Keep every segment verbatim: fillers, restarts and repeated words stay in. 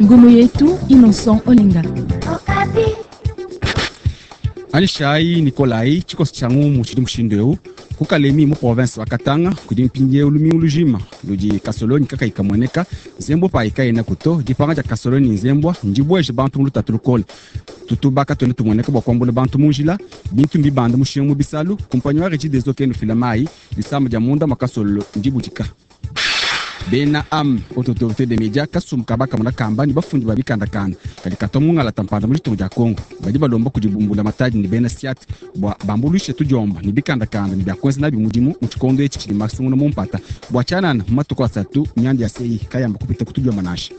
Ngumu yetu Innocent Olenga. Anyishayi Nikolai tshikoso tshia ngumu tshidi mushindu eu ku Kalemi mu province wa Katanga kudi mpindieu lumingu lujima ludi kasolonyi kakayi kamueneka nzembwa payi kayena kuto dipanga dia kasolonyi ne nzembwa ndibueje bantu mu lutatu lukole tutuba katuena tumueneka bua kuambula bantu mu njila bintu mbibanda mushinga mu bisalu kumpanyi wa Regideso kena ufila mayi disama dia munda mua kasololo ndibudika. Bena am haute autorité des médias kasumbu ka bakamona kamba ne bafundi ba bikandakanda kadi katua mungalata mpanda mu ditunga dia Kongo badi balomba kudibumbula matadi ne bena siat bua bambuluishe tudiomba ne bikandakanda ne bia kuenza nabi mudimu mu tshikondo etshi tshidi masungula mu mpata bua tshianana mu matuku asatu mianda ya sei kayamba kupita kutudiomba nansha.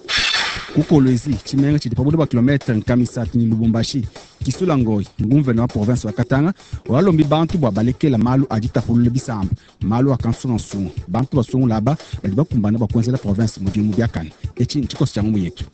Ku Kolwezi tshimenga tshidi pa bule bua kilometre nkama isatu ne Lubumbashi Kisula Ngoi nguvena wa province wa Katanga walombi bantu bua balekela malu a ditapulula bisamba malu a kansungansunga bantu basungula aba badi bakumbana bua kuenzela province mudimu biakane etshi ntshikoso tshia ngumu yetu.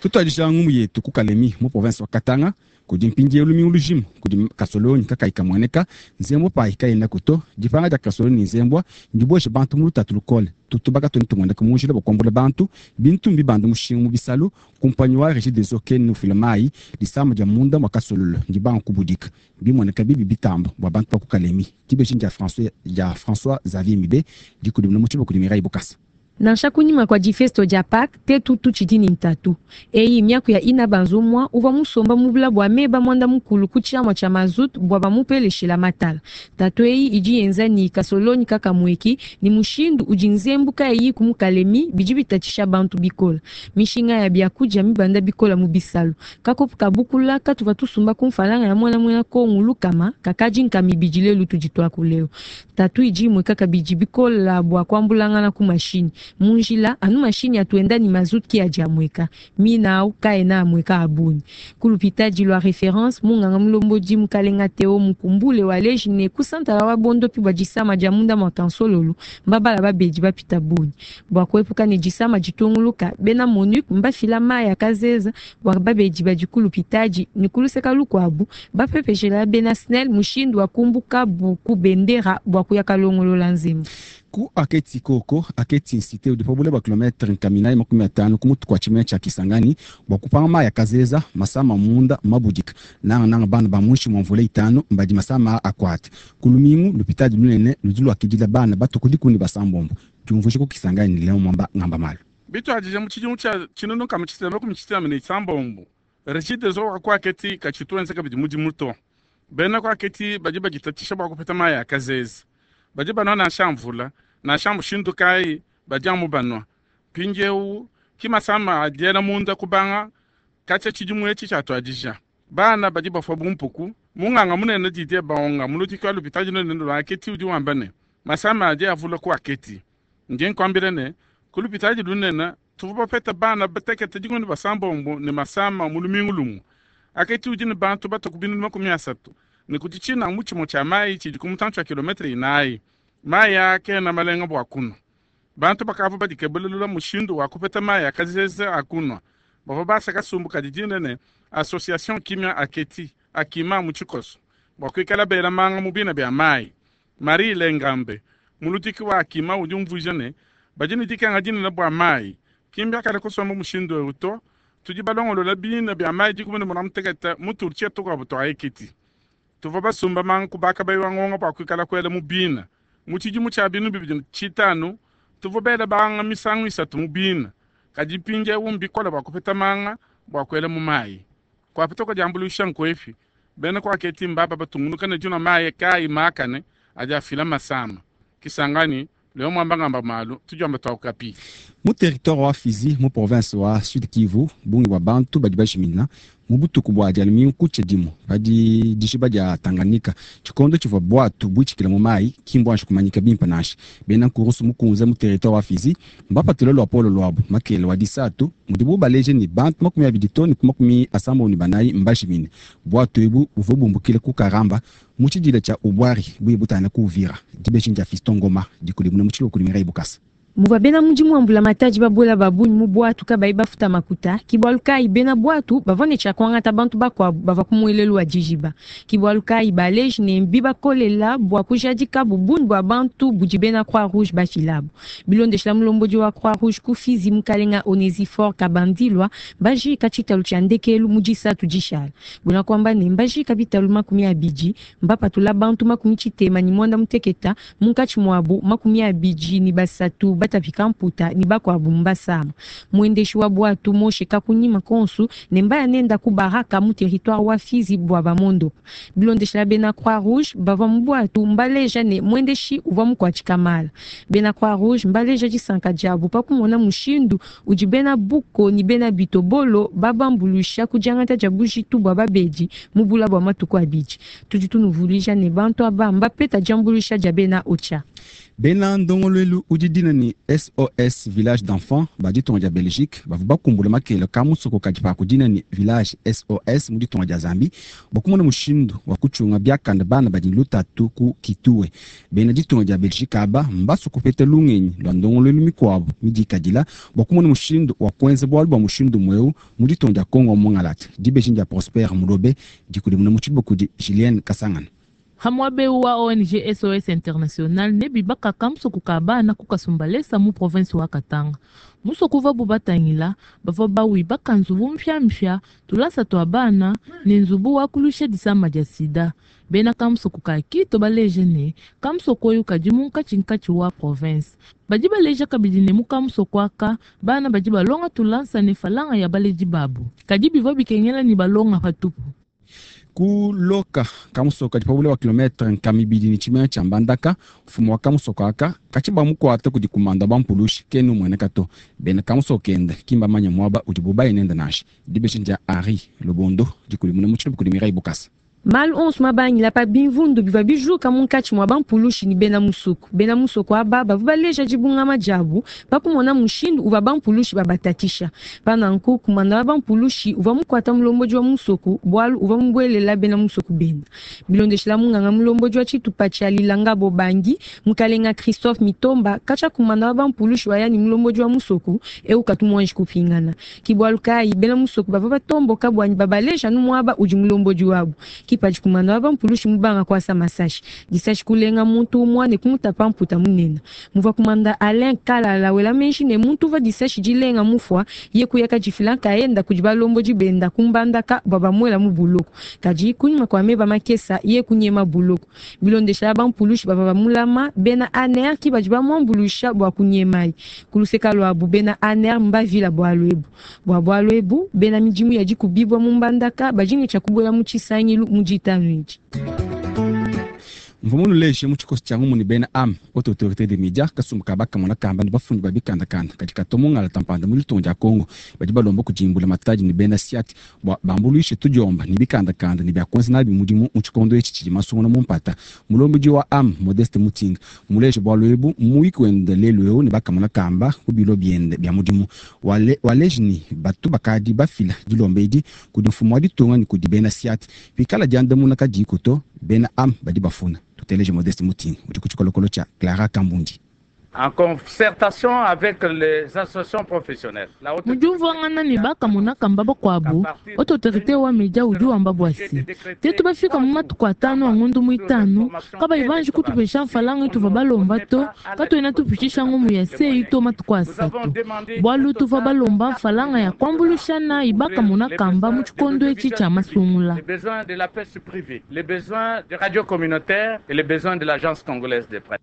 Tutuadija ngumu yetu ku Kalemi mu province wa Katanga kudi mpindieu lumingu lujima kudi kasolonyi kakayi kamueneka nzembwa payi kayena kuto dipanga dia kasolonyi ne nzembwa ndibueshe bantu mu lutatu lukole tutuba katuena tumueneka mu njila bua kuambula bantu bintu mbibanda mushinga mu bisalu kumpanyi wa Regideso kena ufila mayi disama dia munda mua kasololo ndibanga kubudika bimueneka bibi bitamba bua bantu ba ku Kalemi dibeji dia François dia François Xavier Mibe dikudimuna mu tshiba kudi Mireille Bukasa. Nansha kunyima kua difesto dia Pâques tetu tutshidi ne ntatu eyi miaku ya ina banzumwa uvua musomba mu bula bua meba mwanda mukulu ku tshiamua tshia mazutu bua bamupeleshela matala. Ntatu eyi idi yenza ni kasolonyi kakamueki ni mushindu udi nzembu kayiyi ku mukalemi bidi bitatshisha bantu bikola. Mishinga ya biakudia mibanda bikola mu bisalu kakopu kabukula katuva tusumba ku mfalanga ya mwana muena kongu lukama kakadi nkama ibidi lelu tudi tuakuleo. Ntatu idi imue kaka bidi bikola bua kuambulangana ku mashinyi mu njila anu mashinyi atuenda ni mazutu ki adi amueka mina au kaena amueka abunyi. Kulupitadi lwa reference munganga mulombodi mukalenga Teo mukumbule waleji ne kusantala wa bondopi bua disama dia munda mua kansololu mbabala babedi bapita bunyi bua kuepuka ne disama ditunguluka bena MONUC mbafila mayi akazeza bua babedi badi kulupitadi ne kuluseka lukuabu bapepeshela bena SNEL mushindu wa kumbuka bu ku bendera bua kuya kalongolola nzembu. Ku aketi koko aketi nsite udi pa bule bua kilometre nkama inayi makumi atanu ku mutu kua tshimenga tshia Kisangani bua kupanga mayi akazeza masama munda mabudika nangananga bana ba muinshi mua mvula itanu mbadi masama akuata ku lumingu lupitadi lunene ludi luakidila bana batuku dikumi ne basambombo diumvuija ku Kisangani leo mwamba ngamba malu. Bituadija mu tshidimu tshia tshinunu nkama tshitema makumi tshitema ne isambombo Regideso wa ku aketi katshituenza kabidi mudimu to bena ku aketi badi baditatshisha bua kupeta mayi akazeza badi banua nansha mvula nansha mushindu kayi badi amu banua mpindieu ki masama adiela munda kubanga katshia tshidimu etshi tshiatuadija bana badi bafua bumpuku munganga munene Didier Baonga muludiki wa lupitadi lunene lua aketi udi wamba ne masama adi avula ku aketi ndi nkuambila ne ku lupitadi lunene tuvua bapeta bana batekete dikumi ne basambombo ne masama mu lumingu lumue aketi udi ne bantu batuku binunu makumi asatu ne kudi tshina mu tshimue tshia mayi tshidi ku mutantshi wa kilometre inayi mayi aa kena malenga bua kunua bantu bakavua badikebelula mushindu wa kupeta mayi akazeza akunua bavua basa kasumbu kadi dina ne association kimia aketi akima mu tshikoso bua kuikala bela manga mu bina bia mayi. Marie Lengambe muludiki wa akima udi umvuija ne badi ne dikenga dinene bua mayi kimbi akale kusomba mushindu eu to tudi balongolola bina bia mayi dikumi ne muanda mutekete mu turtie tukuabu tua ekiti tuvua basumba manga kubaka bayiwa ngonga bua kuikala kuela mu bina mu tshidimu tshia binu bibidi ne tshitanu tuvua bela banga misangu isatu mu bina kadi mpindieu mbikole bua kupeta manga bua kuela mu mayi kuapeta kudiambuluisha nkuepi bena kuaketi mbaba batungunuka ne dinua mayi kayi makane adi afila masama Kisangani leo mwamba ngamba malu tudiomba tua Okapi. Mu territoire wa Fizi mu province wa Sud Kivu bungi bua bantu badi bajimina mu butuku bua dia lumingu kutshia dimue padi dijiba dia Tanganyika tshikondo tshivua bwatu buitshikila mu mayi ki mbuanji kumanyika bimpe nansha. Bena nkurusu mukunze mu territoire wa Fizi mbapatule luapolo luabu makele wa disatu mudibu baleje ne bantu makumi abidi to ne ku makumi asambombo ne banayi mbajimine. Bwatu ebu buvua bumbukile ku Karamba mu tshidila tshia Ubwari buye butangila ku Uvira. Dibeji dia Fiston Ngoma dikudimuna mu tshiluba kudi Mireille Bukasa. Muvua bena mudimu wa mbulamatadi babuela ba bungi mu bwatu kabayi bafuta makuta, ke bualu kayi bena bwatu bavua ne tshia kuangata bantu bakuabu bavua ku muelelu wa dijiba. Ke bualu kayi baleji ne mbibakolela bua kujadikabu bungi bua bantu budi bena Croix Rouge bafilabu. Bilondeshila mulombodi wa Croix Rouge ku Fizi mukalenga Onesifore Kabandilwa bajika tshitalu tshia ndekelu mu disatu dishala. Buena kuamba ne mbajika bitalu makumi abidi, mbapatula bantu makumi tshitema ne mwanda muteketa munkatshi muabu makumi abidi ne basatu batapika mputa ne bakuabu mbasama. Mwendeshi wa bwatu Moshe kakunyima konsu ne mbaya nenda ku baraka mu territoire wa Fizi bwa bamondo. Bilondeshela bena Croix Rouge bavua mu bwatu mbaleja ne mwendeshi uvua mukuatshika mala. Bena Croix Rouge mbaleja disanka diabu pa kumona mushindu udi bena buko ni bena bitobolo babambuluisha ku diangata dia bujitu bua babedi mu bula bua matuku abidi. Tudi tunuvuluija ne bantu aba mbapeta diambuluisha dia bena Ocha. Bena ndongoluelu udi dina ni S O S Village d'Enfants ba ditunga dia Belgique bavua bakumbula makele ka musoko kadi pa kudina ni Village S O S mu ditunga dia Zambie bakumona mushindu wa kuchunga biakanda bana badi lutatu ku Kitue. Bena ditunga dia Belgique aba mbasu kupeta lungenyi lwa ndongoluelu mikuabu midikadila bakumona mushindu wa kuenza bualu bua mushindu mweu mu ditunga dia Congo Mongalata. Dibeji dia Prosper Mulobe dikudimuna mu tshibuku di Julienne Kasangana. Hamwabe wa O N G S O S International ne bibaka kamusoko ka bana ku Kasumbalesa mu province wa Katanga. Musoko va bubatangila bava bawi bakanzu mpya mpya tulasa twa bana ne nzubu wa kulusha disama dia sida. Bena kamusoko ka Kito baleje ne kamusoko oyo kadi munkatshi nkatshi wa province. Badi baleja kabidi ne mu kamusoko aka bana badi balonga tulansa ne falanga ya baleji babu. Kadi bivua bikengela ni balonga patupu. Kuloka kamusoko kadi pabule wa kilometre nkamibidi ni tshimene tshia Mbandaka, mfumu wa kamusoko aka katshiba mukuata kudi kumanda bampulushi kenu mueneka to. Bena kamusoko kende kimba manya muaba udi bubaye nenda nansha. Dibeji dia Henri Lobondo dikulimuna mu tshilubu kudi Mireille Bukasa. Malu onso mabangila pa bimvundu bivua bijuka munkatshi mua bampulushi ni bena musoko. Bena musoko aba bavua baleja dibungama diabu pa kumona mushindu uvua bampulushi babatatisha. Pa nanku kumanda wa bampulushi uvua mukuata mulombodi wa musoko bualu uvua mubuelela bena musoko benda. Bilondeshila munganga mulombodi wa tshitupa tshia Lilanga Bobangi, mukalenga Christophe Mitomba katshia kumanda wa bampulushi wa yani mulombodi wa musoko eu katu muanji kupingana. Ki bualu kayi bena musoko bavua batomboka bwanyi babaleja nu muaba udi mulombodi wabu. Kipadi kumanda wa bampulushi mubanga kwasa masashi. Disashi kulenga muntu umwa ne kumutapa mputa munene. Muvua kumanda Alain Kalala wela menshi ne muntu uva disashi dilenga mufwa ye kuyaka difila kaenda kudi balombodi benda kumbandaka bwa bamwela mu buloko. Kadi kunyuma kwa meba makesa ye kunyema buloko. Bilondesha bampulushi bava bamulama bena A N R ki badi bamwambulusha bwa kunyemai. Kuluseka lwabu bena A N R mbavila bwa lwebu. Bwa bwa lwebu bena midimu ya dikubibwa mu mbandaka bajinge tshia kubuela mu tshisangilu mu ditanu edi. Mvumunu leje mu tshikoso tshia ngumu ni bena A M, haute autorité des médias, kasumbu ka bakamona kamba ni bafundi ba bikandakanda kadi katomongala tampanda mu litongo dia Congo badi balomba kujimbula matadi ni bena siati bwa bambuluishe tudiomba ni bikandakanda ni byakonza nabi mudimu mu tshikondo etshi tshidi masungu na mumpata. Mulombodi wa A M Modeste Mutinga muleje bwa lwebu mu wiki wende lelu eu ni bakamona kamba ku bilo biende bya mudimu. Wale, waleje ni batu bakadi bafila dilomba edi kudi mfumu wa ditunga ni kudi bena siati pikala diandamuna kadiko to bena A M badi bafuna. Tuteleje Modeste Mutinga udi ku tshikolokolo tshia Clara Kambundi. En concertation avec les associations professionnelles. La haute Mujumvuangana ne bakamona kamba bakuabu, haute autorité wa media udi wamba bwasi. Tetu bafika mu matuku atanu a ngondu muitanu, kabayi banji kutupesha mfalanga tuva balomba to, katuena tupitisha ngumu ya sei to matuku asatu. Bualu tuva balomba mfalanga ya kuambulushana ibakamona kamba mu tshikondo etshi tshia masungula. Les besoins de la presse privée, les besoins des radios communautaires et les besoins de l'agence congolaise de presse.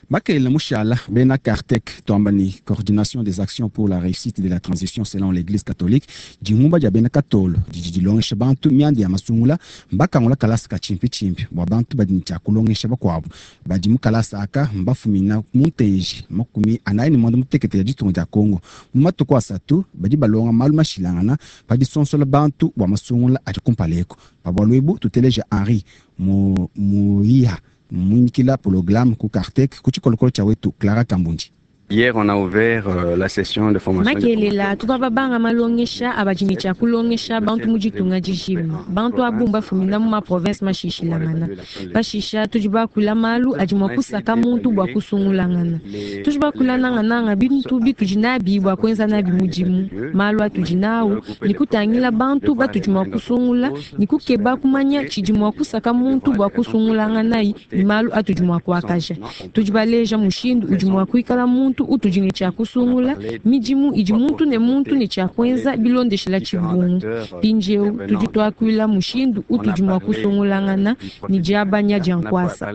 Makelela Mushala, Bena Kartek, Tombani, coordination des actions pour la réussite de la transition selon l'Église catholique, Djimumba dia Bena Katolo, Djidji Longesha Bantu, Miandi ya Masungula, Mbaka Ngola Kalasa ka Chimpi Chimpi, Bwa Bantu badi ncha kulongesha bakwabu, badi mu kalasa aka, mbafumina muntenji, makumi anayi ni mwanda mutekete ya ditunga dia Congo. Mu matuku asatu, badi balonga malu mashilangana, padi sonsola Bantu bwa Masungula adi kumpaleko. Pabwa lwebu, tuteleja Henri Mu-, Muiha, Muinkila programme ku Kartek, ku tshikolokolo tshia wetu Clara Kambundi. Hier, on a ouvert euh, la session de formation. Makelela tuvua babanga malongesha abadi ne tshia kulongesha bantu mu ditunga dijima bantu abu mbafumina mu maprovince mashishilangana pashisha tudi bakula malu adi mua kusaka muntu bua kusungulangana tudi bakula nangananga bintu bitudi nabi bua kuenza nabi mudimu malu atudi nawu ni kutangila bantu batudi mua kusungula ni kukeba kumanya tshidi mua kusaka muntu bua kusungulanganayi ni malu atudi mua kuakaja tudi baleja mushindu udi mua kuikala muntu utudi ne tshia kusungula midimu idi muntu ne muntu ne tshia kuenza bilondeshela tshibungu mpindieu tudi tuakuila mushindu utudi mua kusungulangana ne diabanya dia nkuasa.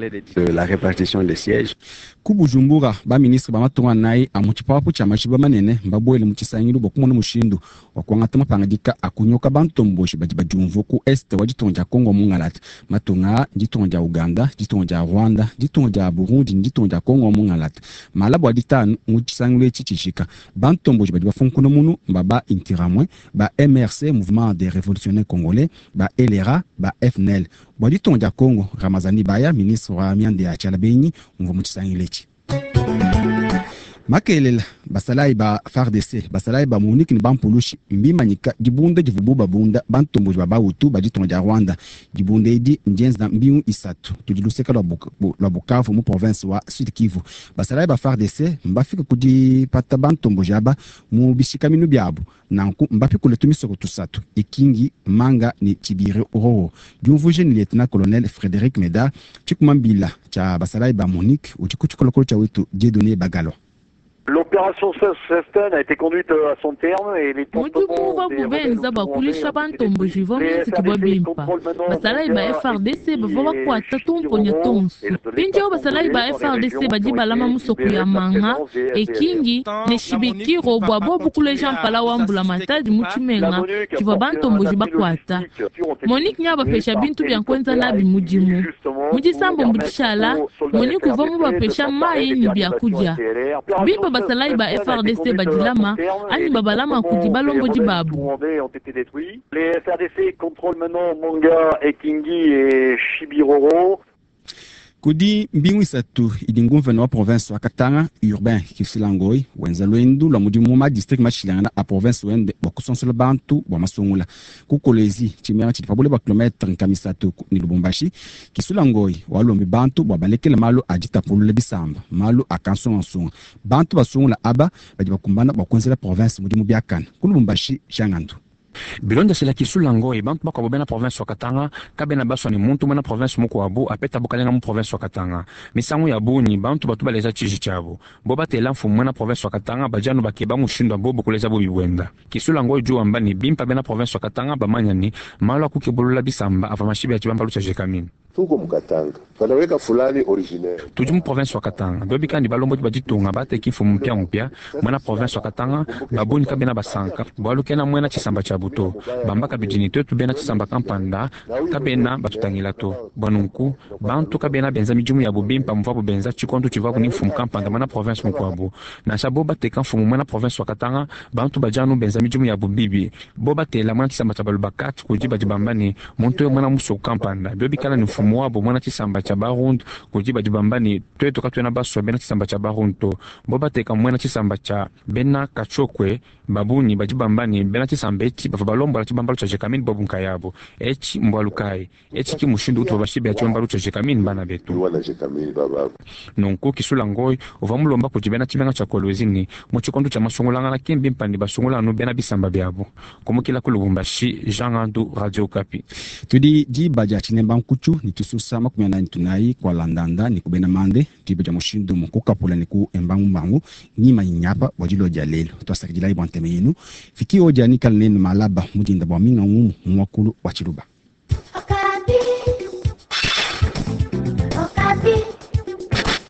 La répartition des sièges. Ku Bujumbura ba ministre ba matunga nayi a mu tshipapu tshia mashiba manene mbabuele mu tshisangilu bua kumona mushindu wa kuangata mapangadika a kunyoka bantomboshi badi badiumvua ku est wa ditunga dia Congo mungalata. Matunga ditunga dia Uganda, ditunga dia Rwanda, ditunga dia Burundi ne ditunga dia Congo mungalata. Malabo a ditanu mu tshisangilu etshi tshijika bantomboshi badi bafunkuna munu mbaba Interahamwe ba M R C, Mouvement des Révolutionnaires Congolais, ba L R A, ba F N L. Bua ditunga dia Congo, Ramazani Baya, ministre wa mianda ya tshiala benyi, umvua mu tshisangilu etshi. Makelela basalayi ba F A R D C, basalayi ba MONUC ne bampulushi mbimanyika dibunda divubu babunda bantomboji ba Bahutu ba ditunga dia Rwanda. Dibunda edi ndienza mbingu isatu tudi luseka lwa Bukavu mu province wa Sud Kivu. Basalayi ba F A R D C mbafika kudipata bantomboji aba mu bishikaminu biabu, nanku mbapikule tumisoko tusatu: Ikingi, Manga ne Tshibiri Roro. Diumvuje ni lieutenant colonel Frédéric Meda, tshikumambila tshia basalayi ba MONUC, udi ku tshikolokolo tshia wetu Dieudonné Bagalo. L'opération Sustain a été conduite à son terme et les Mudimu uvuabu benza bua kulisha bantomboji uvua muenzekibua bimpa. Basalayi ba F A R D C bavua bakuata tumponya tonso. Mpindieu basalayi ba F A R D C badi balama musoko ya Manga, Ekingi ne Shibikiro bua bobu kuleja mpala wa mbula matadi mu tshimenga tshivua bantomboji bakuata. MONUC nya bapesha bintu bia kuenza nabi mudimu. Mu disambo dishala MONUC uvua mubapesha mayi ne biakudia bimpa. Basalayi ba F A R D C badilama anyi babalama kudi balombodi babu. Les F A R D C contrôlent maintenant Manga, Ekingi et Shibiroro. Kudi mbingu isatu idi nguvena wa province wa Katanga, Urbain Kisula Ngoy, wenza lwendu lwa mudimu ma district mashilangana a province wende bua kusonsola bantu bua masungula. Ku Kolwezi, tshimenga tshidi pabule bua kilometre nkama isatu ne Lubumbashi, Kisula Ngoy walombi bantu bua balekele malu a ditapulula bisamba, malu a kansungansunga. Bantu basungula aba badi bakumbana bua kuenzela province mudimu biakana. Ku Lubumbashi, Jangandu. Bilondeshela Kisula Ngoy, bantu bakuabo bena province wa Katanga kabena baswa ni muntu mwena province mukuabu apeta bukalenga mu province wa Katanga. Misangu ya bunyi bantu batu baleza tshiji tshiabu bo batela mfumu mwena province wa Katanga badianu bakeba mushindu bobu kuleza bubi bwenda. Kisula Ngoy ju wamba ni bimpa bena province wa Katanga bamanya ni malu akukebulula bisamba ava mashibi ya tshibambalu tshia Gécamines. Tuko mukatanga banaweka fulani originaire. Tudi mu province wa Katanga biobi kandi balombodi baditunga bateki mfumu mpia mpia mwena province wa Katanga babuni kabena basanka bwalu kena mwena tshisamba tshia buto bamba kabidi ni twetu bena tshisamba kampanda kabena batutangila to. Bwanunku bantu kabena benza midimu yabu bimpa muvabu benza tshikondu tshivabu ni mfumu kampanda mwena province mukuabu. Nansha bo bateka mfumu mwena province wa Katanga, bantu badianu benza midimu yabu bibi. Bo batela mwena tshisamba tshia baluba kati kudi badi bamba ni muntu oyo mwena musoko kampanda bio bikala ni mfumu wabo mwena tshisamba tshia Barundu kudi badi bamba ni twetu katuena baswa bena tshisamba tshia Barundu to. Bo bateka mwena tshisamba tshia bena Kachokwe, babunyi badi bamba ni bena tshisamba etshi bava balombola tshibambalu tshia Gécamines bobu nkayabo. Etshi mbwalu kayi? Etshi ki mushindu utu babashibela tshibambalu tshia Gécamines bana betu? Wana Gécamines baba. Nunku Kisula Ngoy uva mulomba kudi bena tshimenga tshia Kolwezi ni mu tshikondo tshia masungulangana kimbi mpandi basungula anu bena bisamba biabu. Kumukila ku Lubumbashi, Jean Gandu, Radio Okapi. Tudi diba dia tshinemba nkutshu ni tususa makumi anani tunayi kwa landanda ni kubena mande diba dia mushindu mu kukapula ni ku embangumbangu nyima inyapa bua dilo dia lelo. Twasakidila bua nteme yenu fiki odia nikala nenu malaba mudinda bua minga ngumu muakulu wa tshiluba.